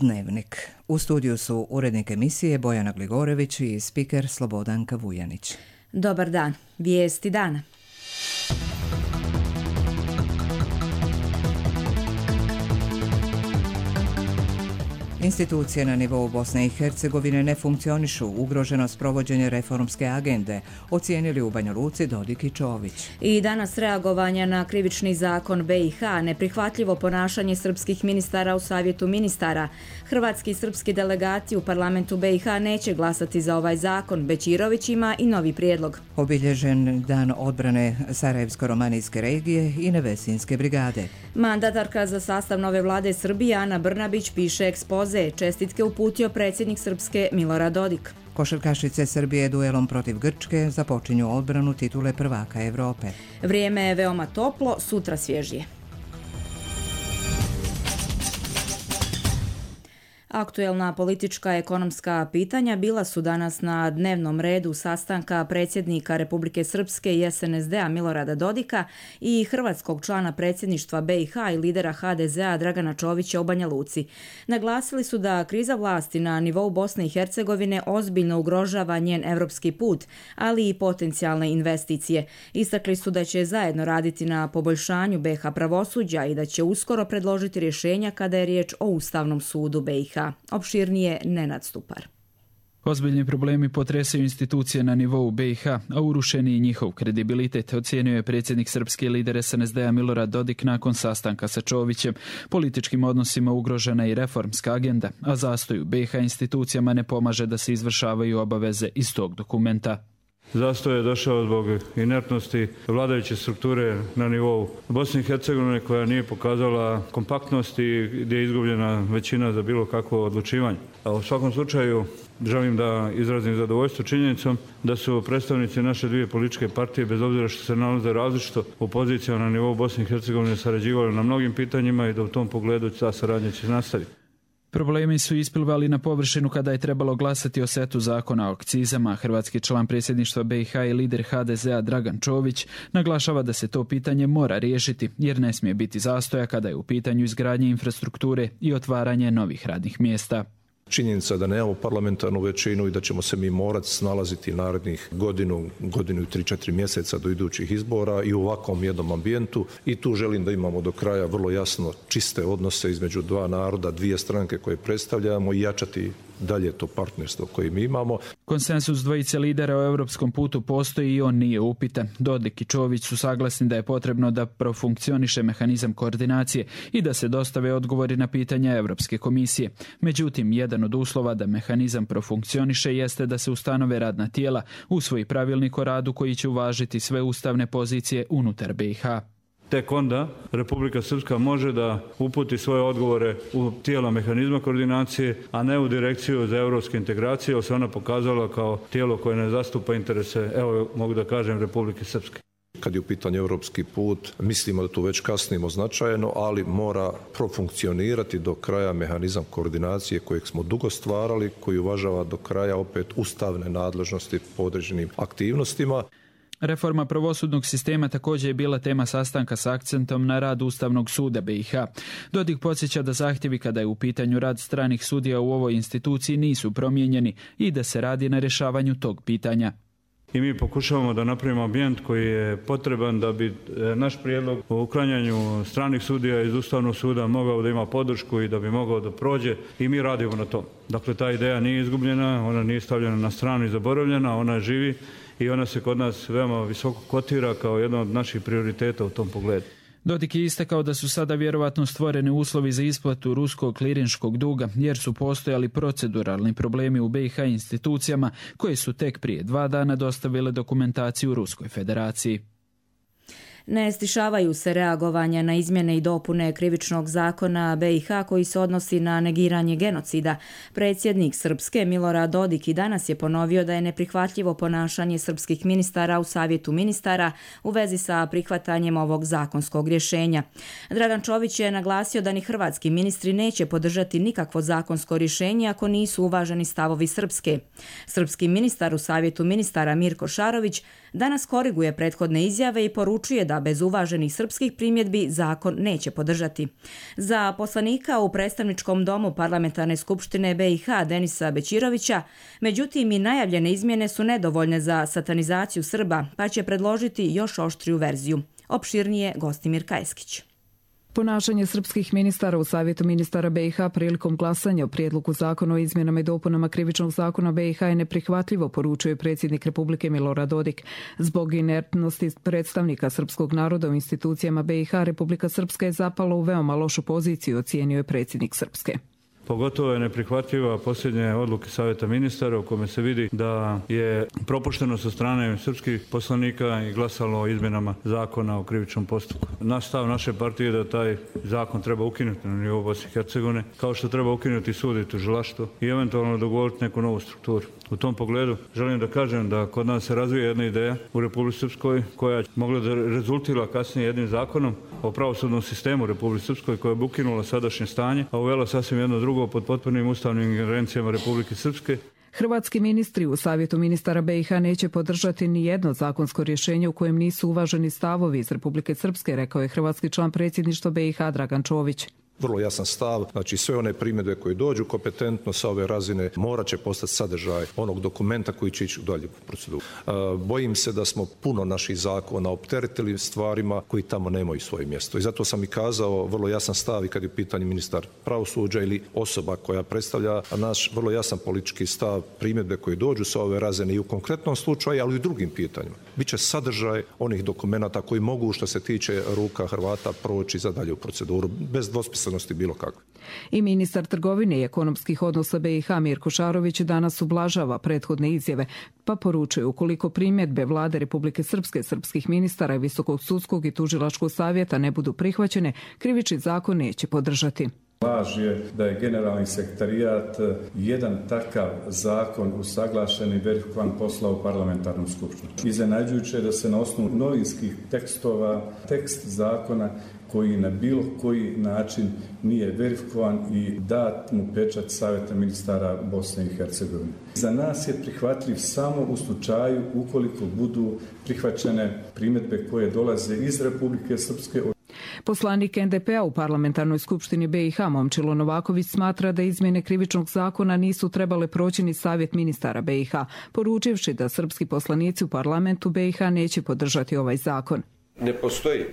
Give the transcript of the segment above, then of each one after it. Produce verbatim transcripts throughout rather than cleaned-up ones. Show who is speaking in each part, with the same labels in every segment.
Speaker 1: Dnevnik. U studiju su urednik emisije Bojana Gligorević i spiker Slobodanka Vujanić.
Speaker 2: Dobar dan. Vijesti dana.
Speaker 1: Institucije na nivou Bosne i Hercegovine ne funkcionišu, ugroženost provođenja reformske agende, ocijenili u Banja Luci Dodik i Čović.
Speaker 2: I danas reagovanja na krivični zakon B i H, neprihvatljivo ponašanje srpskih ministara u Savjetu ministara. Hrvatski i srpski delegati u parlamentu B i H neće glasati za ovaj zakon, Bećirović ima i novi prijedlog.
Speaker 1: Obilježen dan odbrane Sarajevsko-romanijske regije i Nevesinske brigade.
Speaker 2: Mandatarka za sastav nove vlade Srbije Ana Brnabić piše ekspoze. Čestitke uputio predsjednik Srpske Milorad Dodik.
Speaker 1: Košarkašice Srbije duelom protiv Grčke započinju odbranu titule prvaka Evrope.
Speaker 2: Vrijeme je veoma toplo, sutra svježije. Aktuelna politička ekonomska pitanja bila su danas na dnevnom redu sastanka predsjednika Republike Srpske i S N S D-a Milorada Dodika i hrvatskog člana predsjedništva B i H i lidera H D Z-a Dragana Čovića u Banja Luci. Naglasili su da kriza vlasti na nivou Bosne i Hercegovine ozbiljno ugrožava njen evropski put, ali i potencijalne investicije. Istakli su da će zajedno raditi na poboljšanju B i H pravosuđa i da će uskoro predložiti rješenja kada je riječ o Ustavnom sudu B i H. Opširnije Nenad Stupar.
Speaker 3: Ozbiljni problemi potresaju institucije na nivou B i H, a urušeni i njihov kredibilitet, ocijenio je predsjednik srpski lider S N S D-a Milorad Dodik nakon sastanka sa Čovićem. Političkim odnosima ugrožena i reformska agenda, a zastoju B i H institucijama ne pomaže da se izvršavaju obaveze iz tog dokumenta.
Speaker 4: Zastoj je došao zbog inertnosti vladajuće strukture na nivou Bosne i Hercegovine koja nije pokazala kompaktnost i gdje je izgubljena većina za bilo kakvo odlučivanje. A u svakom slučaju želim da izrazim zadovoljstvo činjenicom da su predstavnici naše dvije političke partije, bez obzira što se nalaze različito u pozicijama na nivou Bosne i Hercegovine, sarađivali na mnogim pitanjima i da u tom pogledu ta saradnja će nastaviti.
Speaker 3: Problemi su isplivali na površinu kada je trebalo glasati o setu zakona o akcizama. Hrvatski član predsjedništva B i H i lider H D Z-a Dragan Čović naglašava da se to pitanje mora riješiti jer ne smije biti zastoja kada je u pitanju izgradnje infrastrukture i otvaranje novih radnih mjesta.
Speaker 5: Činjenica da nemamo parlamentarnu većinu i da ćemo se mi morati snalaziti narednih godinu, godinu i tri, četiri mjeseca do idućih izbora i u ovakvom jednom ambijentu. I tu želim da imamo do kraja vrlo jasno čiste odnose između dva naroda, dvije stranke koje predstavljamo i jačati dalje to partnerstvo koje mi imamo.
Speaker 3: Konsensus dvojice lidera o europskom putu postoji i on nije upitan. Dodik i Čović su saglasni da je potrebno da profunkcioniše mehanizam koordinacije i da se dostave odgovori na pitanja Europske komisije. Međutim, jedan od uslova da mehanizam profunkcioniše jeste da se ustanove radna tijela, usvoji pravilnik o radu koji će uvažiti sve ustavne pozicije unutar B i H.
Speaker 4: Tek onda Republika Srpska može da uputi svoje odgovore u tijela mehanizma koordinacije, a ne u direkciju za europske integracije, jer se ona pokazala kao tijelo koje ne zastupa interese, evo mogu da kažem, Republike Srpske.
Speaker 5: Kad je u pitanju europski put, mislimo da tu već kasnimo značajno, ali mora profunkcionirati do kraja mehanizam koordinacije kojeg smo dugo stvarali, koji uvažava do kraja opet ustavne nadležnosti po određenim aktivnostima.
Speaker 3: Reforma pravosudnog sistema također je bila tema sastanka s akcentom na rad Ustavnog suda B i H. Dodik podsjeća da zahtjevi kada je u pitanju rad stranih sudija u ovoj instituciji nisu promijenjeni i da se radi na rješavanju tog pitanja.
Speaker 4: I mi pokušavamo da napravimo ambijent koji je potreban da bi naš prijedlog o uklanjanju stranih sudija iz Ustavnog suda mogao da ima podršku i da bi mogao da prođe i mi radimo na tom. Dakle, ta ideja nije izgubljena, ona nije stavljena na stranu i zaboravljena, ona živi i ona se kod nas veoma visoko kotira kao jedan od naših prioriteta u tom pogledu.
Speaker 3: Dodik je istakao da su sada vjerovatno stvoreni uslovi za isplatu ruskog klirinškog duga jer su postojali proceduralni problemi u B i H institucijama koje su tek prije dva dana dostavile dokumentaciju Ruskoj federaciji.
Speaker 2: Ne stišavaju se reagovanja na izmjene i dopune krivičnog zakona B i H koji se odnosi na negiranje genocida. Predsjednik Srpske Milorad Dodik i danas je ponovio da je neprihvatljivo ponašanje srpskih ministara u Savjetu ministara u vezi sa prihvatanjem ovog zakonskog rješenja. Dragan Čović je naglasio da ni hrvatski ministri neće podržati nikakvo zakonsko rješenje ako nisu uvaženi stavovi Srpske. Srpski ministar u Savjetu ministara Mirko Šarović danas koriguje prethodne izjave i poručuje da bez uvaženih srpskih primjedbi zakon neće podržati. Za poslanika u predstavničkom domu Parlamentarne skupštine B i H Denisa Bećirovića, međutim i najavljene izmjene su nedovoljne za satanizaciju Srba, pa će predložiti još oštriju verziju. Opširnije Gostimir Kajskić.
Speaker 6: Ponašanje srpskih ministara u Savjetu ministara B i H prilikom glasanja o prijedlogu zakona o izmjenama i dopunama krivičnog zakona B i H je neprihvatljivo, poručuje predsjednik Republike Milorad Dodik. Zbog inertnosti predstavnika srpskog naroda u institucijama B i H, Republika Srpska je zapala u veoma lošu poziciju, ocijenio je predsjednik Srpske.
Speaker 4: Pogotovo je neprihvatljiva posljednje odluke Savjeta ministara u kome se vidi da je propušteno sa strane srpskih poslanika i glasalo o izmjenama zakona o krivičnom postupku. Naš stav naše partije je da taj zakon treba ukinuti na nivou Bosne i Hercegovine, kao što treba ukinuti sud i tužilaštvo i eventualno dogovoriti neku novu strukturu. U tom pogledu želim da kažem da kod nas se razvija jedna ideja u Republici Srpskoj koja je mogla da rezultira kasnije jednim zakonom o pravosudnom sistemu u Republici Srpskoj koja bi ukinula sadašnje stanje, a uvela sasvim jedno drugo pod potpunim ustavnim ingerencijama Republike Srpske.
Speaker 6: Hrvatski ministri u Savjetu ministara B i H neće podržati ni jedno zakonsko rješenje u kojem nisu uvaženi stavovi iz Republike Srpske, rekao je hrvatski član predsjedništva B i H Dragan Čović.
Speaker 5: Vrlo jasan stav, znači sve one primjedbe koje dođu kompetentno sa ove razine morat će postati sadržaj onog dokumenta koji će ići u dalju proceduru. E, bojim se da smo puno naših zakona opteretili stvarima koji tamo nemaju svoje mjesto. I zato sam i kazao vrlo jasan stav i kad je pitanje ministar pravosuđa ili osoba koja predstavlja naš vrlo jasan politički stav, primjedbe koje dođu sa ove razine i u konkretnom slučaju, ali i u drugim pitanjima. Biće sadržaj onih dokumenata koji mogu što se tiče ruka Hrvata proći za dalju proceduru bez dvosmislenosti bilo kakve.
Speaker 6: I ministar trgovine i ekonomskih odnosa B i H Mirko Šarović danas ublažava prethodne izjave, pa poručuje ukoliko primjedbe vlade Republike Srpske, srpskih ministara i Visokog sudskog i tužilačkog savjeta ne budu prihvaćene, krivični zakon neće podržati.
Speaker 7: Laž je da je generalni sekretarijat jedan takav zakon usaglašen i verifikovan poslao u parlamentarnu skupštinu. Iznenađujuće je da se na osnovu novinskih tekstova, tekst zakona koji na bilo koji način nije verifikovan i dat mu pečat Savjeta ministara Bosne i Hercegovine. Za nas je prihvatljiv samo u slučaju ukoliko budu prihvaćene primjedbe koje dolaze iz Republike Srpske.
Speaker 6: Poslanik N D P-a u parlamentarnoj skupštini B i H Momčilo Novaković smatra da izmjene krivičnog zakona nisu trebale proći ni Savjet ministara B i H, poručivši da srpski poslanici u parlamentu B i H neće podržati ovaj zakon.
Speaker 8: Ne postoji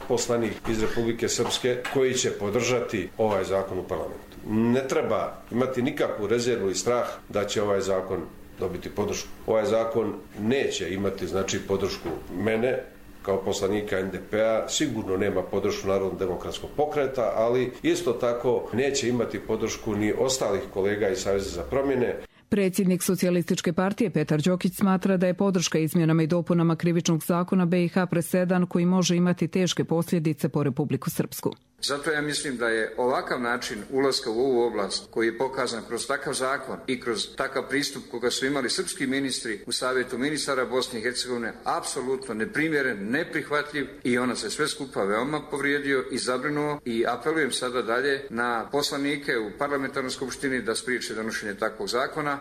Speaker 8: poslanik iz Republike Srpske koji će podržati ovaj zakon u parlamentu. Ne treba imati nikakvu rezervu i strah da će ovaj zakon dobiti podršku. Ovaj zakon neće imati znači podršku mene kao poslanika N D P-a, sigurno nema podršku Narodnog demokratskog pokreta, ali isto tako neće imati podršku ni ostalih kolega iz Saveza za promjene.
Speaker 6: Predsjednik Socijalističke partije Petar Đokić smatra da je podrška izmjenama i dopunama krivičnog zakona B i H presedan koji može imati teške posljedice po Republiku Srpsku.
Speaker 9: Zato ja mislim da je ovakav način ulaska u ovu oblast koji je pokazan kroz takav zakon i kroz takav pristup koga su imali srpski ministri u Savjetu ministara Bosne i Hercegovine apsolutno neprimjeren, neprihvatljiv i ona se sve skupa veoma povrijedio i zabrinuo i apelujem sada dalje na poslanike u parlamentarnoj skupštini da spriječe donošenje takvog zakona.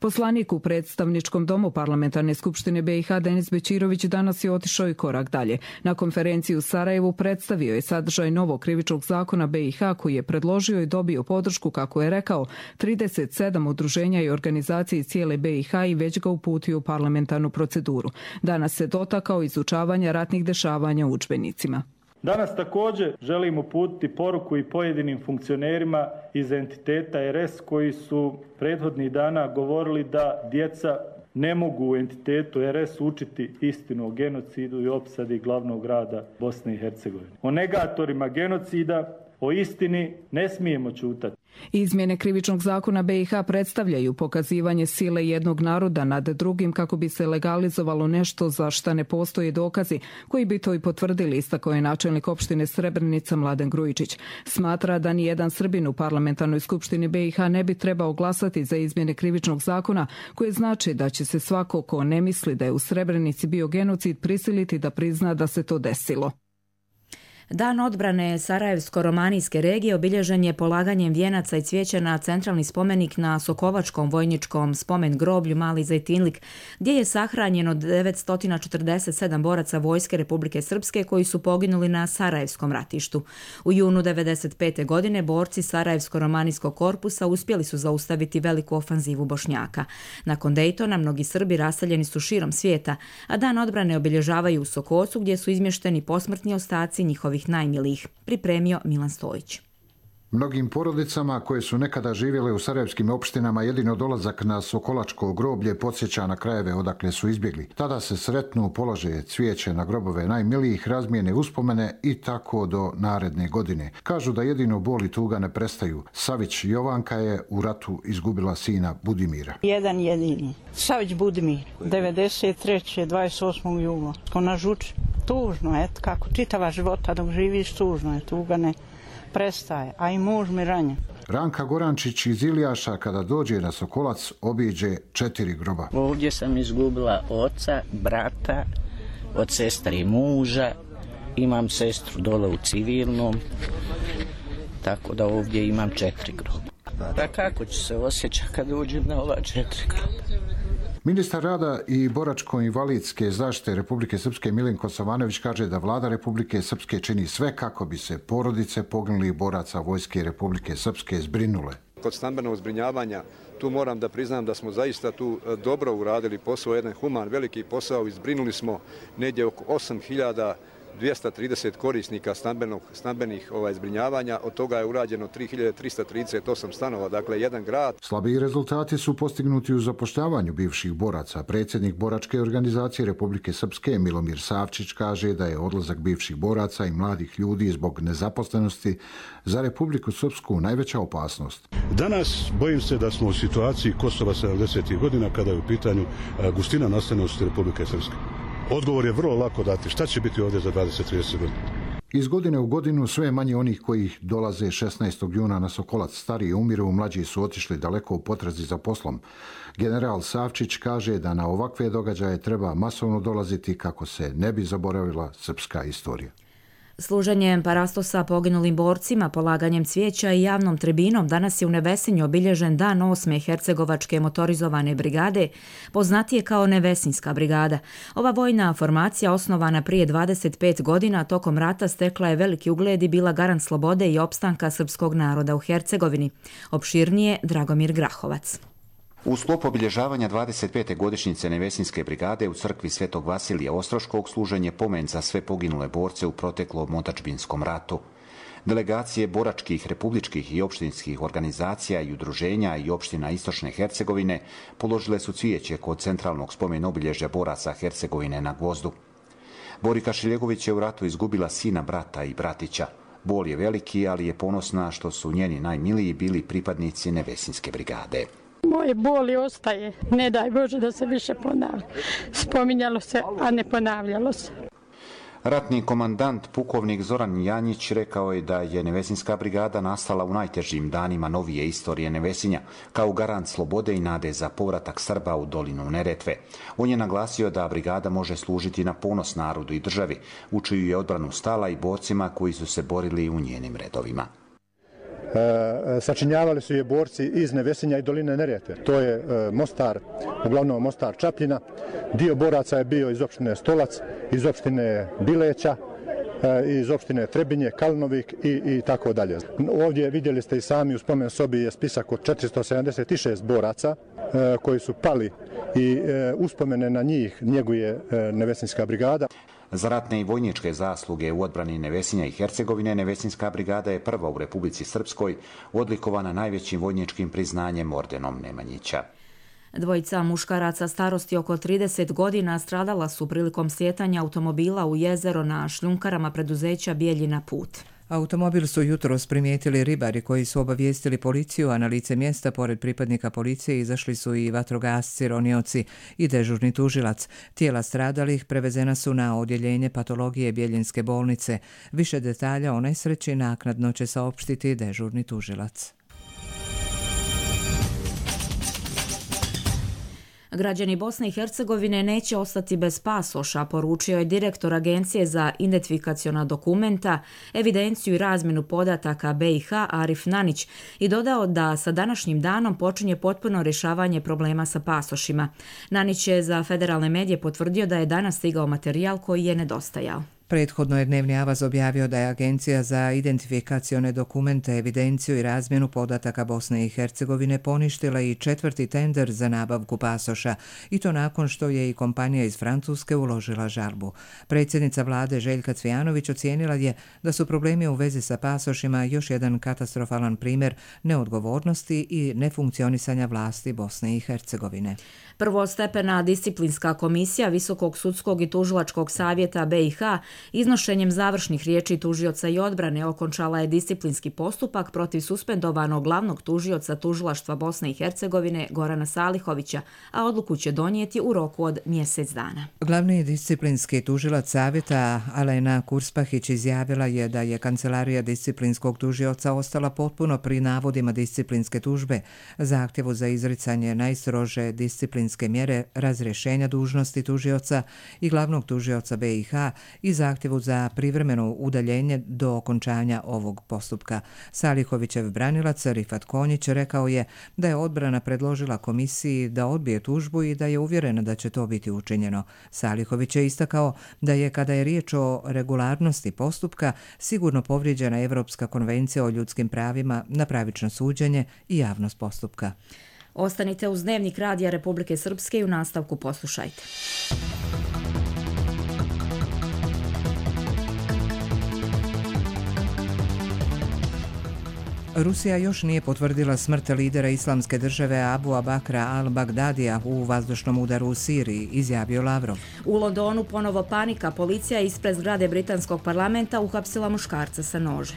Speaker 6: Poslanik u predstavničkom domu parlamentarne skupštine B i H Denis Bećirović danas je otišao i korak dalje. Na konferenciji u Sarajevu predstavio je sadržaj novog krivičnog zakona B i H koji je predložio i dobio podršku, kako je rekao, trideset sedam udruženja i organizacije cijele B i H i već ga uputio u parlamentarnu proceduru. Danas se dotakao izučavanja ratnih dešavanja u udžbenicima.
Speaker 10: Danas također želim uputiti poruku i pojedinim funkcionerima iz entiteta R S koji su prethodnih dana govorili da djeca ne mogu u entitetu R S učiti istinu o genocidu i opsadi glavnog grada Bosne i Hercegovine. O negatorima genocida, o istini ne smijemo ćutati.
Speaker 6: Izmjene krivičnog zakona B i H predstavljaju pokazivanje sile jednog naroda nad drugim kako bi se legalizovalo nešto za šta ne postoje dokazi koji bi to i potvrdili, istakao je načelnik opštine Srebrenica Mladen Grujičić. Smatra da ni jedan Srbin u parlamentarnoj skupštini B i H ne bi trebao glasati za izmjene krivičnog zakona, koje znači da će se svako ko ne misli da je u Srebrenici bio genocid prisiliti da prizna da se to desilo.
Speaker 2: Dan odbrane Sarajevsko-romanijske regije obilježen je polaganjem vijenaca i cvijeća na centralni spomenik na Sokovačkom vojničkom spomen groblju Mali Zejtinlik, gdje je sahranjeno devetsto četrdeset sedam boraca vojske Republike Srpske koji su poginuli na Sarajevskom ratištu. U junu devedeset pete. godine borci Sarajevsko-romanijskog korpusa uspjeli su zaustaviti veliku ofanzivu Bošnjaka. Nakon Dejtona mnogi Srbi raseljeni su širom svijeta, a Dan odbrane obilježavaju u Sokocu gdje su izmješteni posmrtni ostaci njihovih najmilijih, pripremio Milan Stojić.
Speaker 11: Mnogim porodicama koje su nekada živjele u sarajevskim opštinama jedino dolazak na Sokolačko groblje podsjeća na krajeve odakle su izbjegli. Tada se sretnu, polože cvijeće na grobove najmilijih, razmijene uspomene i tako do naredne godine. Kažu da jedino bol i tuga ne prestaju. Savić Jovanka je u ratu izgubila sina Budimira.
Speaker 12: Jedan jedini. Savić Budimir, devedeset treće. dvadeset osmog jula. Na Žuči. Tužno, eto kako čitava života dok živiš, tužno je, tuga ne prestaje, a i muž mi ranjen.
Speaker 11: Ranka Gorančić iz Ilijaša kada dođe na Sokolac obiđe četiri groba.
Speaker 13: Ovdje sam izgubila oca, brata, od sestre i muža, imam sestru dole u civilnom, tako da ovdje imam četiri groba. Da kako ću se osjećati kad uđem na ova četiri groba?
Speaker 11: Ministar rada i boračko-invalidske zaštite Republike Srpske Milenko Savanović kaže da vlada Republike Srpske čini sve kako bi se porodice poginulih boraca vojske Republike Srpske zbrinule.
Speaker 14: Kod stambenog zbrinjavanja tu moram da priznam da smo zaista tu dobro uradili posao, jedan human, veliki posao i zbrinuli smo negdje oko osam hiljada dvjesto trideset korisnika stambenog, stambenih ovaj, zbrinjavanja, od toga je urađeno tri hiljade trista trideset osam stanova, dakle jedan grad.
Speaker 11: Slabiji rezultati su postignuti u zapošljavanju bivših boraca. Predsjednik boračke organizacije Republike Srpske Milomir Savčić kaže da je odlazak bivših boraca i mladih ljudi zbog nezaposlenosti za Republiku Srpsku najveća opasnost.
Speaker 15: Danas bojim se da smo u situaciji Kosova sedamdesetih godina kada je u pitanju gustina naseljenosti Republike Srpske. Odgovor je vrlo lako dati. Šta će biti ovdje za dvadeset do trideset godina?
Speaker 11: Iz godine u godinu sve manje onih koji dolaze šesnaestog juna na Sokolac. Stariji umiru, mlađi su otišli daleko u potrazi za poslom. General Savčić kaže da na ovakve događaje treba masovno dolaziti kako se ne bi zaboravila srpska istorija.
Speaker 2: Služenjem parastosa poginulim borcima, polaganjem cvijeća i javnom tribinom danas je u Nevesinju obilježen dan osme Hercegovačke motorizovane brigade, poznatije kao Nevesinjska brigada. Ova vojna formacija, osnovana prije dvadeset pet godina, tokom rata stekla je veliki ugled i bila garant slobode i opstanka srpskog naroda u Hercegovini. Opširnije Dragomir Grahovac.
Speaker 16: U sklopu obilježavanja dvadeset pete godišnjice Nevesinjske brigade u crkvi Svetog Vasilija Ostroškog služen je pomen za sve poginule borce u proteklom otadžbinskom ratu. Delegacije boračkih, republičkih i opštinskih organizacija i udruženja i opština Istočne Hercegovine položile su cvijeće kod centralnog spomen obilježja boraca Hercegovine na Gvozdu. Borika Šiljegović je u ratu izgubila sina, brata i bratića. Bol je veliki, ali je ponosna što su njeni najmiliji bili pripadnici Nevesinjske brigade.
Speaker 17: Moje boli ostaje, ne daj Bože da se više ponavlja. Spominjalo se, a ne ponavljalo se.
Speaker 16: Ratni komandant pukovnik Zoran Janjić rekao je da je Nevesinjska brigada nastala u najtežim danima novije istorije Nevesinja, kao garant slobode i nade za povratak Srba u dolinu Neretve. On je naglasio da brigada može služiti na ponos narodu i državi, u čiju je odbranu stala i borcima koji su se borili u njenim redovima.
Speaker 18: E, sačinjavali su je borci iz Nevesinja i doline Neretve. To je e, Mostar, uglavnom Mostar Čapljina. Dio boraca je bio iz opštine Stolac, iz opštine Bileća, e, iz opštine Trebinje, Kalnovik i, i tako dalje. Ovdje vidjeli ste i sami u spomen sobi je spisak od četiristo sedamdeset šest boraca e, koji su pali i e, uspomene na njih njeguje e, Nevesinjska brigada.
Speaker 16: Za ratne i vojničke zasluge u odbrani Nevesinja i Hercegovine, Nevesinjska brigada je prva u Republici Srpskoj odlikovana najvećim vojničkim priznanjem ordenom Nemanjića.
Speaker 2: Dvojica muškaraca starosti oko trideset godina stradala su prilikom slijetanja automobila u jezero na šljunkarama preduzeća Bijeljina Put.
Speaker 1: Automobil su jutros primijetili ribari koji su obavijestili policiju, a na lice mjesta pored pripadnika policije izašli su i vatrogasci, ronioci i dežurni tužilac. Tijela stradalih prevezena su na odjeljenje patologije Bijeljinske bolnice. Više detalja o nesreći naknadno će saopštiti dežurni tužilac.
Speaker 2: Građani Bosne i Hercegovine neće ostati bez pasoša, poručio je direktor Agencije za identifikaciona dokumenta, evidenciju i razmjenu podataka B i H Arif Nanić i dodao da sa današnjim danom počinje potpuno rješavanje problema sa pasošima. Nanić je za federalne medije potvrdio da je danas stigao materijal koji je nedostajao.
Speaker 1: Prethodno je Dnevni avaz objavio da je Agencija za identifikacione dokumente, evidenciju i razmjenu podataka Bosne i Hercegovine poništila i četvrti tender za nabavku pasoša, i to nakon što je i kompanija iz Francuske uložila žalbu. Predsjednica vlade Željka Cvijanović ocijenila je da su problemi u vezi sa pasošima još jedan katastrofalan primjer neodgovornosti i nefunkcionisanja vlasti Bosne i Hercegovine.
Speaker 2: Prvostepena disciplinska komisija Visokog sudskog i tužilačkog savjeta B i H iznošenjem završnih riječi tužioca i odbrane okončala je disciplinski postupak protiv suspendovanog glavnog tužioca tužilaštva Bosne i Hercegovine Gorana Salihovića, a odluku će donijeti u roku od mjesec dana.
Speaker 1: Glavni disciplinski tužilac savjeta Alena Kurspahić izjavila je da je kancelarija disciplinskog tužioca ostala potpuno pri navodima disciplinske tužbe, zahtjevu za izricanje najstrože disciplinske mjere razrješenja dužnosti tužioca i glavnog tužioca B i H i zahtjevu za privremeno udaljenje do okončanja ovog postupka. Salihovićev branilac Rifat Konjić rekao je da je odbrana predložila komisiji da odbije tužbu i da je uvjerena da će to biti učinjeno. Salihović je istakao da je, kada je riječ o regularnosti postupka, sigurno povrijeđena Evropska konvencija o ljudskim pravima na pravično suđenje i javnost postupka.
Speaker 2: Ostanite uz Dnevnik Radija Republike Srpske i u nastavku poslušajte.
Speaker 1: Rusija još nije potvrdila smrt lidera Islamske države Abu Bakra al-Bagdadija u vazdušnom udaru u Siriji, izjavio Lavrov.
Speaker 2: U Londonu ponovo panika. Policija ispred zgrade britanskog parlamenta uhapsila muškarca sa nožem.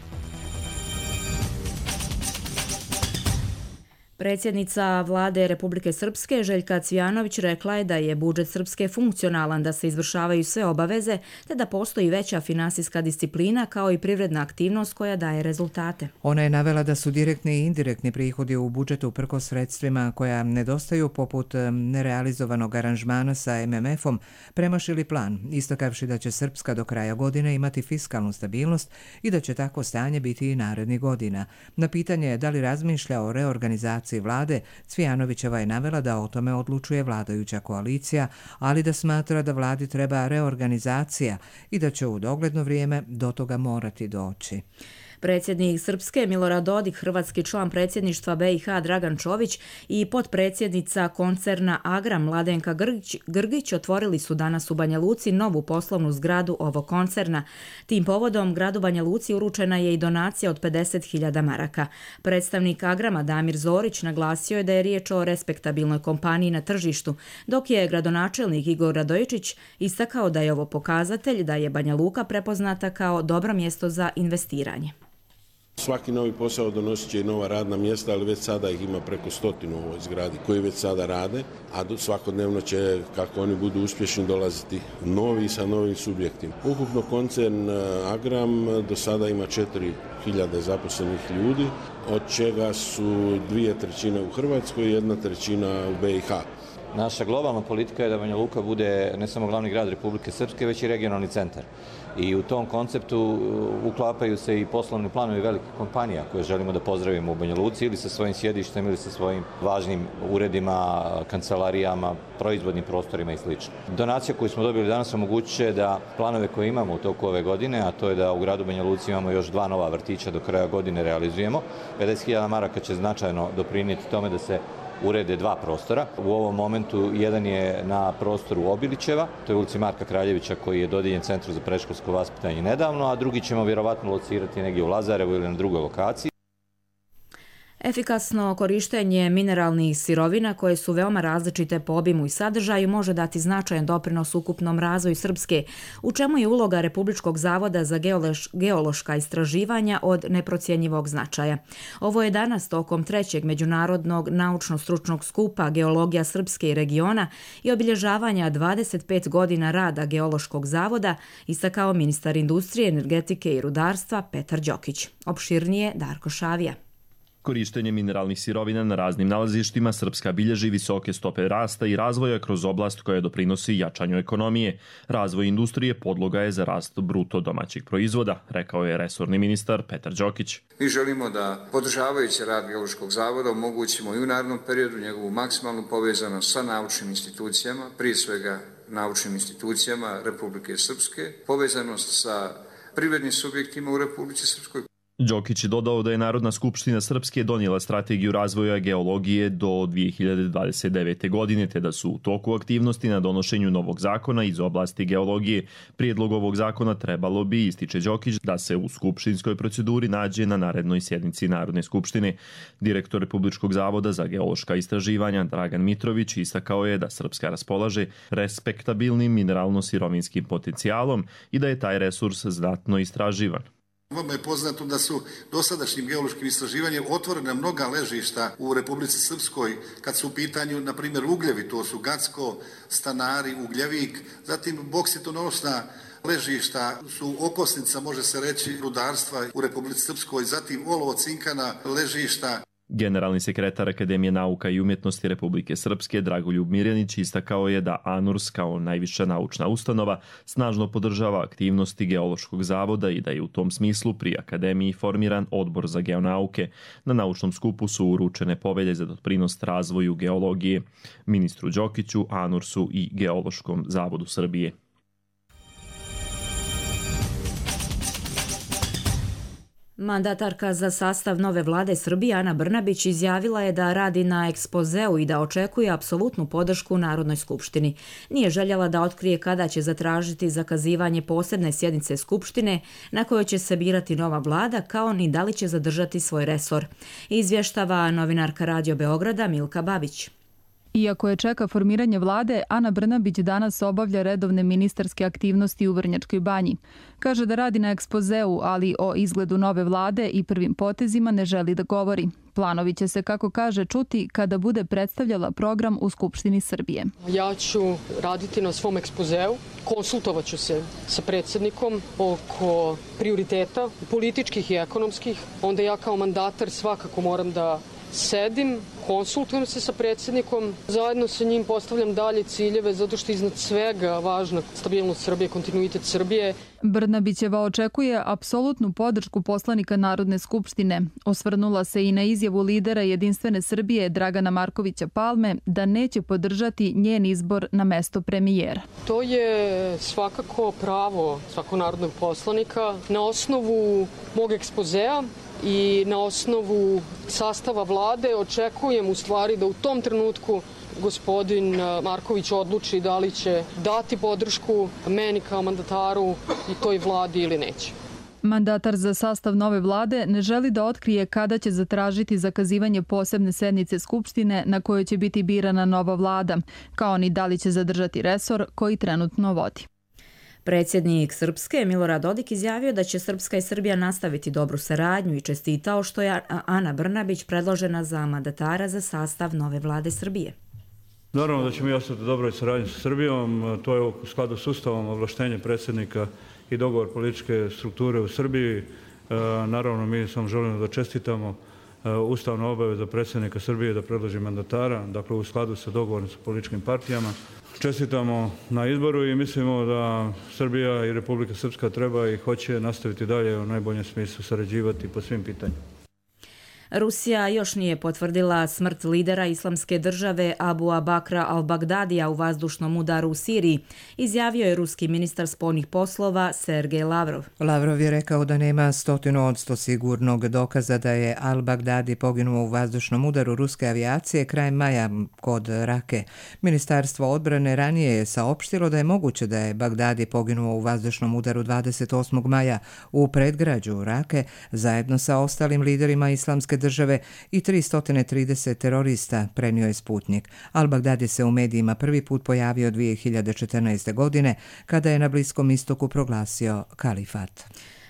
Speaker 2: Predsjednica vlade Republike Srpske Željka Cvijanović rekla je da je budžet Srpske funkcionalan, da se izvršavaju sve obaveze, te da postoji veća finansijska disciplina kao i privredna aktivnost koja daje rezultate.
Speaker 1: Ona je navela da su direktni i indirektni prihodi u budžetu uprkos sredstvima koja nedostaju, poput nerealizovanog aranžmana sa M M F-om, premašili plan, istakavši da će Srpska do kraja godine imati fiskalnu stabilnost i da će tako stanje biti i narednih godina. Na pitanje da li razmišlja o reorganizaciji vlade, Cvijanovićeva je navela da o tome odlučuje vladajuća koalicija, ali da smatra da vladi treba reorganizacija i da će u dogledno vrijeme do toga morati doći.
Speaker 2: Predsjednik Srpske Milorad Dodik, hrvatski član predsjedništva B i H Dragan Čović i potpredsjednica koncerna Agra Mladenka Grgić, Grgić otvorili su danas u Banja Luci novu poslovnu zgradu ovog koncerna. Tim povodom gradu Banja Luci uručena je i donacija od pedeset hiljada maraka. Predstavnik Agrama Damir Zorić naglasio je da je riječ o respektabilnoj kompaniji na tržištu, dok je gradonačelnik Igor Radojičić istakao da je ovo pokazatelj da je Banja Luka prepoznata kao dobro mjesto za investiranje.
Speaker 19: Svaki novi posao donosit će i nova radna mjesta, ali već sada ih ima preko stotinu u ovoj zgradi koji već sada rade, a svakodnevno će, kako oni budu uspješni, dolaziti novi sa novim subjektima. Ukupno koncern Agram do sada ima četiri hiljade zaposlenih ljudi, od čega su dvije trećine u Hrvatskoj i jedna trećina u B i H.
Speaker 20: Naša globalna politika je da Banja Luka bude ne samo glavni grad Republike Srpske, već i regionalni centar. I u tom konceptu uklapaju se i poslovni planovi velikih kompanija koje želimo da pozdravimo u Banja Luci ili sa svojim sjedištem ili sa svojim važnim uredima, kancelarijama, proizvodnim prostorima i sl. Donacija koju smo dobili danas omogućit će da planove koje imamo u toku ove godine, a to je da u gradu Banja Luci imamo još dva nova vrtića do kraja godine realizujemo. pedeset hiljada maraka će značajno doprinijeti tome da se urede dva prostora. U ovom momentu jedan je na prostoru Obilićeva, to je ulici Marka Kraljevića koji je dodijeljen Centru za predškolsko vaspitanje nedavno, a drugi ćemo vjerovatno locirati negdje u Lazarevu ili na drugoj lokaciji.
Speaker 2: Efikasno korištenje mineralnih sirovina koje su veoma različite po obimu i sadržaju može dati značajan doprinos ukupnom razvoju Srpske, u čemu je uloga Republičkog zavoda za geološ, geološka istraživanja od neprocjenjivog značaja. Ovo je danas tokom trećeg međunarodnog naučno-stručnog skupa Geologija Srpske i regiona i obilježavanja dvadeset pet godina rada Geološkog zavoda istakao ministar industrije, energetike i rudarstva Petar Đokić. Opširnije Darko Šavija.
Speaker 21: Korištenje mineralnih sirovina na raznim nalazištima Srpska bilježi visoke stope rasta i razvoja kroz oblast koja doprinosi jačanju ekonomije. Razvoj industrije podloga je za rast bruto domaćih proizvoda, rekao je resorni ministar Petar Đokić.
Speaker 9: Mi želimo da, podržavajući rad Geološkog zavoda, omogućimo i u narednom periodu njegovu maksimalnu povezanost sa naučnim institucijama, prije svega naučnim institucijama Republike Srpske, povezanost sa privrednim subjektima u Republici Srpskoj.
Speaker 21: Đokić je dodao da je Narodna skupština Srpske donijela strategiju razvoja geologije do dvije hiljade dvadeset devete. godine, te da su u toku aktivnosti na donošenju novog zakona iz oblasti geologije. Prijedlog ovog zakona trebalo bi, ističe Đokić, da se u skupštinskoj proceduri nađe na narednoj sjednici Narodne skupštine. Direktor Republičkog zavoda za geološka istraživanja Dragan Mitrović istakao je da Srpska raspolaže respektabilnim mineralno-sirovinskim potencijalom i da je taj resurs znatno istraživan.
Speaker 22: Vama je poznato da su dosadašnjim geološkim istraživanjem otvorena mnoga ležišta u Republici Srpskoj kad su u pitanju, na primjer, ugljevi, to su Gacko, Stanari, Ugljevik, zatim boksitonosna ležišta su okosnica, može se reći, rudarstva u Republici Srpskoj, zatim olovo-cinkana ležišta.
Speaker 21: Generalni sekretar Akademije nauka i umjetnosti Republike Srpske Dragoljub Mirjanić istakao je da ANURS kao najviša naučna ustanova snažno podržava aktivnosti Geološkog zavoda i da je u tom smislu pri Akademiji formiran odbor za geonauke. Na naučnom skupu su uručene povelje za doprinos razvoju geologije ministru Đokiću, ANURS-u i Geološkom zavodu Srbije.
Speaker 2: Mandatarka za sastav nove vlade Srbije Ana Brnabić izjavila je da radi na ekspozeu i da očekuje apsolutnu podršku Narodnoj skupštini. Nije željela da otkrije kada će zatražiti zakazivanje posebne sjednice Skupštine na kojoj će se birati nova vlada, kao ni da li će zadržati svoj resor. Izvještava novinarka Radio Beograda Milka Babić.
Speaker 23: Iako je čeka formiranje vlade, Ana Brnabić danas obavlja redovne ministarske aktivnosti u Vrnjačkoj Banji. Kaže da radi na ekspozeu, ali o izgledu nove vlade i prvim potezima ne želi da govori. Planovi će se, kako kaže, čuti kada bude predstavljala program u Skupštini Srbije.
Speaker 24: Ja ću raditi na svom ekspozeu, konsultovat ću se sa predsjednikom oko prioriteta političkih i ekonomskih. Onda ja kao mandatar svakako moram da sedim, konsultujem se sa predsjednikom, zajedno sa njim postavljam dalje ciljeve, zato što iznad svega važna stabilnost Srbije, kontinuitet Srbije.
Speaker 23: Brnabićeva očekuje apsolutnu podršku poslanika Narodne skupštine. Osvrnula se i na izjavu lidera Jedinstvene Srbije Dragana Markovića Palme da neće podržati njen izbor na mesto premijera.
Speaker 24: To je svakako pravo svakog narodnog poslanika. Na osnovu mog ekspozea i na osnovu sastava vlade očekujem u stvari da u tom trenutku gospodin Marković odluči da li će dati podršku meni kao mandataru i toj vladi ili neće.
Speaker 23: Mandatar za sastav nove vlade ne želi da otkrije kada će zatražiti zakazivanje posebne sednice Skupštine na kojoj će biti birana nova vlada, kao ni da li će zadržati resor koji trenutno vodi.
Speaker 2: Predsjednik Srpske Milorad Dodik izjavio da će Srpska i Srbija nastaviti dobru saradnju i čestitao što je Ana Brnabić predložena za mandatara za sastav nove vlade Srbije.
Speaker 4: Naravno da ćemo i ostati u dobroj saradnji sa Srbijom, to je u skladu s Ustavom ovlaštenje predsjednika i dogovor političke strukture u Srbiji. Naravno mi samo želimo da čestitamo ustavnu obavezu predsjednika Srbije da predloži mandatara, dakle u skladu sa dogovorom sa političkim partijama. Čestitamo na izboru i mislimo da Srbija i Republika Srpska treba i hoće nastaviti dalje u najboljem smislu sarađivati po svim pitanjima.
Speaker 2: Rusija još nije potvrdila smrt lidera Islamske države Abu Bakra al-Bagdadija u vazdušnom udaru u Siriji, izjavio je ruski ministar spoljnih poslova Sergej Lavrov.
Speaker 1: Lavrov je rekao da nema stotinu odsto sigurnog dokaza da je al-Bagdadi poginuo u vazdušnom udaru ruske avijacije krajem maja kod Rake. Ministarstvo odbrane ranije je saopštilo da je moguće da je Bagdadi poginuo u vazdušnom udaru dvadeset osmog maja u predgrađu Rake zajedno sa ostalim liderima Islamske države i tristo trideset terorista, prenio je Sputnik. Al-Bagdadi se u medijima prvi put pojavio dvije hiljade četrnaeste. godine kada je na Bliskom istoku proglasio kalifat.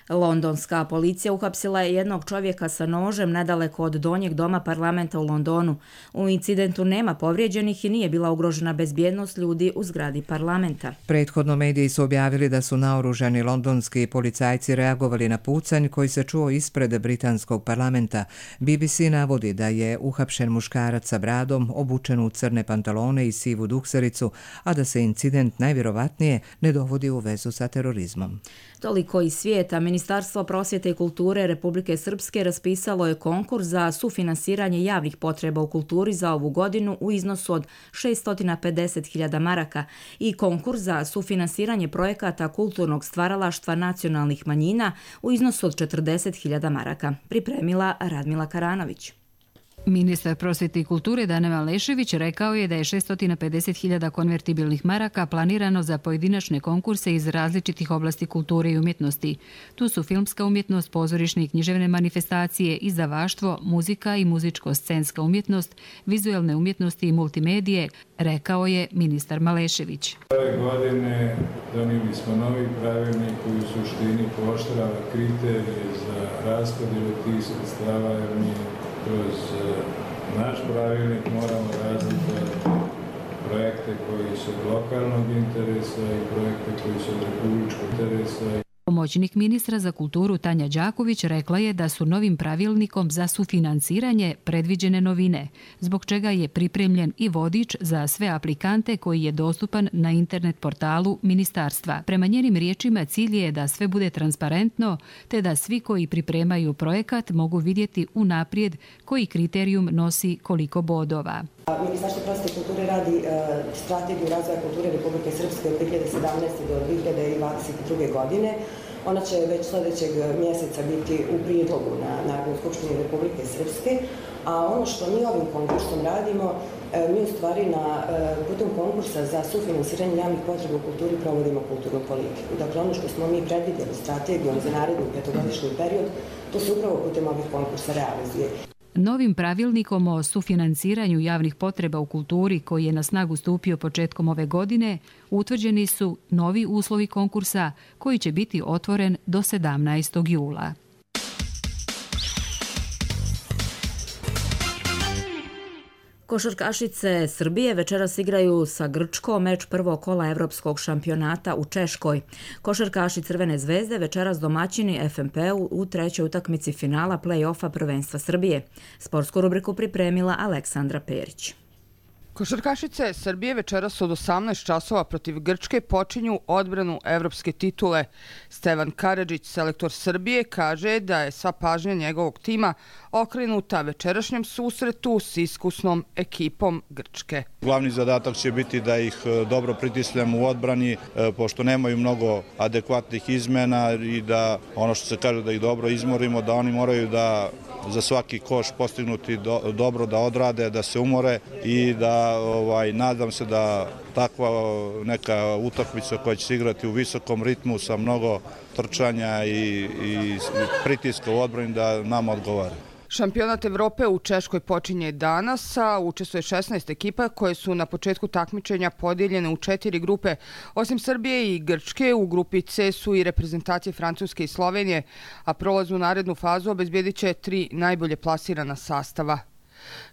Speaker 2: Londonska policija uhapsila je jednog čovjeka sa nožem nedaleko od donjeg doma parlamenta u Londonu. U incidentu nema povrijeđenih i nije bila ugrožena bezbjednost ljudi u zgradi parlamenta.
Speaker 1: Prethodno mediji su objavili da su naoružani londonski policajci reagovali na pucanj koji se čuo ispred britanskog parlamenta. B B C navodi da je uhapšen muškarac sa bradom, obučen u crne pantalone i sivu duksericu, a da se incident najvjerovatnije ne dovodi u vezu sa terorizmom.
Speaker 2: Toliko iz svijeta. Ministarstvo prosvjete i kulture Republike Srpske raspisalo je konkurs za sufinansiranje javnih potreba u kulturi za ovu godinu u iznosu od šessto pedeset hiljada maraka i konkurs za sufinansiranje projekata kulturnog stvaralaštva nacionalnih manjina u iznosu od četrdeset hiljada maraka. Pripremila Radmila Karanović.
Speaker 3: Ministar prosvjete i kulture Dane Malešević rekao je da je šessto pedeset hiljada konvertibilnih maraka planirano za pojedinačne konkurse iz različitih oblasti kulture i umjetnosti. Tu su filmska umjetnost, pozorišne i književne manifestacije, izdavaštvo, muzika i muzičko-scenska umjetnost, vizualne umjetnosti i multimedije, rekao je ministar Malešević.
Speaker 5: Ove godine donijeli smo novi pravilnik koji u suštini pooštrava kriterije za raspodjelu tih sredstava, jer mi kroz naš pravilnik moramo razlikovati projekte koji su od lokalnog interesa i projekte koji su od republičkog interesa.
Speaker 3: Pomoćnik ministra za kulturu Tanja Đaković rekla je da su novim pravilnikom za sufinansiranje predviđene novine, zbog čega je pripremljen i vodič za sve aplikante koji je dostupan na internet portalu ministarstva. Prema njenim riječima cilj je da sve bude transparentno, te da svi koji pripremaju projekat mogu vidjeti unaprijed koji kriterijum nosi koliko bodova.
Speaker 7: Ministarstvo prosvjete i kulture radi uh, strategiju razvoja kulture Republike Srpske od dvije hiljade sedamnaeste. do dvije hiljade dvadeset druge. godine. Ona će već sljedećeg mjeseca biti u prijedlogu na Narodnoj skupštini Republike Srpske, a ono što mi ovim konkursom radimo, mi u stvari na putem konkursa za sufinansiranje javnih potreba u kulturi provodimo kulturnu politiku. Dakle, ono što smo mi predvidjeli strategijom za naredni petogodišnji period, to se upravo putem ovih konkursa realizuje.
Speaker 3: Novim pravilnikom o sufinansiranju javnih potreba u kulturi, koji je na snagu stupio početkom ove godine, utvrđeni su novi uslovi konkursa koji će biti otvoren do sedamnaestog jula.
Speaker 2: Košarkašice Srbije večeras igraju sa Grčkom meč prvog kola evropskog šampionata u Češkoj. Košarkaši Crvene zvezde večeras domaćini F M P-u u trećoj utakmici finala play-offa prvenstva Srbije. Sportsku rubriku pripremila Aleksandra Perić.
Speaker 8: Košarkašice Srbije večeras od osamnaest časova protiv Grčke počinju odbranu evropske titule. Stevan Karadžić, selektor Srbije, kaže da je sva pažnja njegovog tima okrenuta večerašnjem susretu s iskusnom ekipom Grčke.
Speaker 25: Glavni zadatak će biti da ih dobro pritisnemo u odbrani, pošto nemaju mnogo adekvatnih izmena i da ono što se kaže da ih dobro izmorimo, da oni moraju da za svaki koš postignuti do, dobro da odrade, da se umore i da ovaj, nadam se da takva neka utakmica koja će se igrati u visokom ritmu sa mnogo trčanja i, i pritiska u odbrani da nam odgovara.
Speaker 8: Šampionat Evrope u Češkoj počinje danas, a učestvuje šesnaest ekipa koje su na početku takmičenja podijeljene u četiri grupe. Osim Srbije i Grčke, u grupi C su i reprezentacije Francuske i Slovenije, a prolaz u narednu fazu obezbjedit će tri najbolje plasirana sastava.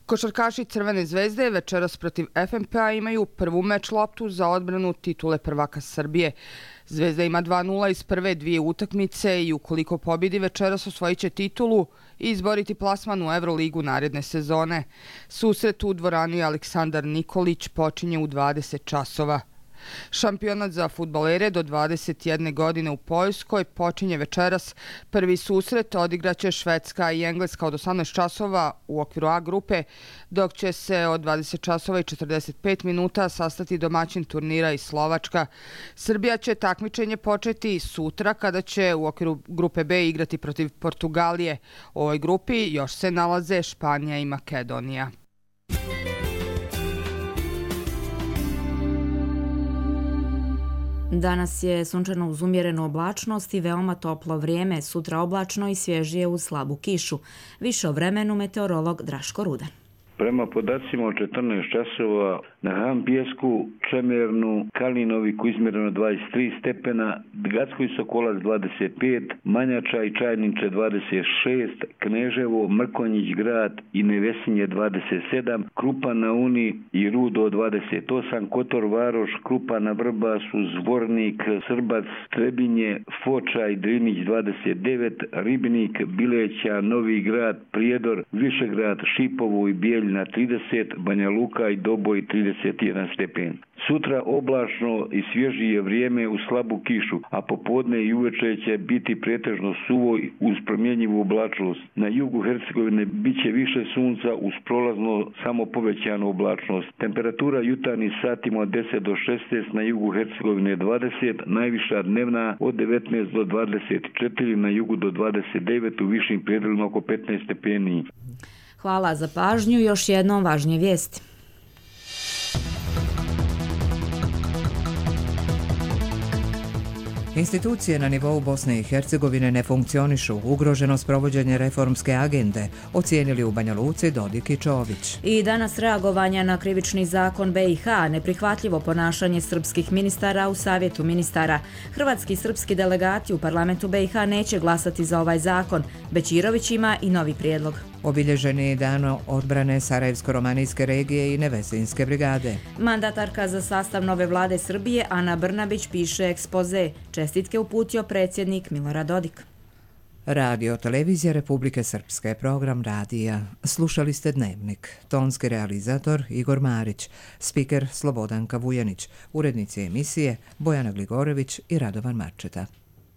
Speaker 8: Košarkaši Crvene zvezde večeras protiv F M P-a imaju prvu meč loptu za odbranu titule prvaka Srbije. Zvezda ima dva nula iz prve dvije utakmice i ukoliko pobjedi večeras osvojit će titulu i izboriti plasman u Euroligu naredne sezone. Susret u dvorani Aleksandar Nikolić počinje u dvadeset časova. Šampionat za fudbalere do dvadeset jedne godine u Poljskoj počinje večeras. Prvi susret odigraće Švedska i Engleska od osamnaest časova u okviru A grupe, dok će se od dvadeset časova i četrdeset pet minuta sastati domaćin turnira i Slovačka. Srbija će takmičenje početi sutra kada će u okviru grupe B igrati protiv Portugalije. U ovoj grupi još se nalaze Španija i Makedonija.
Speaker 2: Danas je sunčano uz umjerenu oblačnost i veoma toplo vrijeme, sutra oblačno i svježije uz slabu kišu. Više o vremenu meteorolog Draško Rudan.
Speaker 6: Prema podacima od četrnaest časova na Hampijesku, Čemernu, Kalinoviku izmjereno dvadeset tri stepena, Gatskoj Sokolac dvadeset pet, Manjača i Čajniče dvadeset šest, Kneževo, Mrkonjić grad i Nevesinje dvadeset sedam, Krupa na Uni i Rudo dvadeset osam, Kotor Varoš, Krupa na Vrbasu, Zvornik, Srbac, Trebinje, Foča i Drinić dvadeset devet, Ribnik, Bileća, Novi grad, Prijedor, Višegrad, Šipovo i Bijeljina trideset, Banja Luka i Doboj trideset jedan stepen. Sutra oblačno i svježije vrijeme uz slabu kišu, a popodne i uveče će biti pretežno suvo uz promjenjivu oblačnost. Na jugu Hercegovine bit će više sunca uz prolazno samo povećanu oblačnost. Temperatura jutarnjih satima od deset do šesnaest, na jugu Hercegovine dvadeset, najviša dnevna od devetnaest do dvadeset četiri, na jugu do dvadeset devet, u višim predjelima oko petnaest stepeni.
Speaker 2: Hvala za pažnju. Još jednom važnije vijesti.
Speaker 1: Institucije na nivou Bosne i Hercegovine ne funkcionišu, ugroženo sprovođenje reformske agende, ocijenili u Banja Luci Dodik i Čović.
Speaker 2: I danas reagovanja na krivični zakon B i H, neprihvatljivo ponašanje srpskih ministara u Savjetu ministara. Hrvatski i srpski delegati u parlamentu B i H neće glasati za ovaj zakon. Bećirović ima i novi prijedlog.
Speaker 1: Obilježen je dan odbrane Sarajevsko-romanijske regije i Nevesinske brigade.
Speaker 2: Mandatarka za sastav nove vlade Srbije Ana Brnabić piše ekspoze. Čestitke uputio predsjednik Milorad Dodik.
Speaker 1: Radio Televizija Republike Srpske, program radija. Slušali ste Dnevnik. Tonski realizator Igor Marić, spiker Slobodanka Vujanić, urednici emisije Bojana Gligorević i Radovan Marčeta.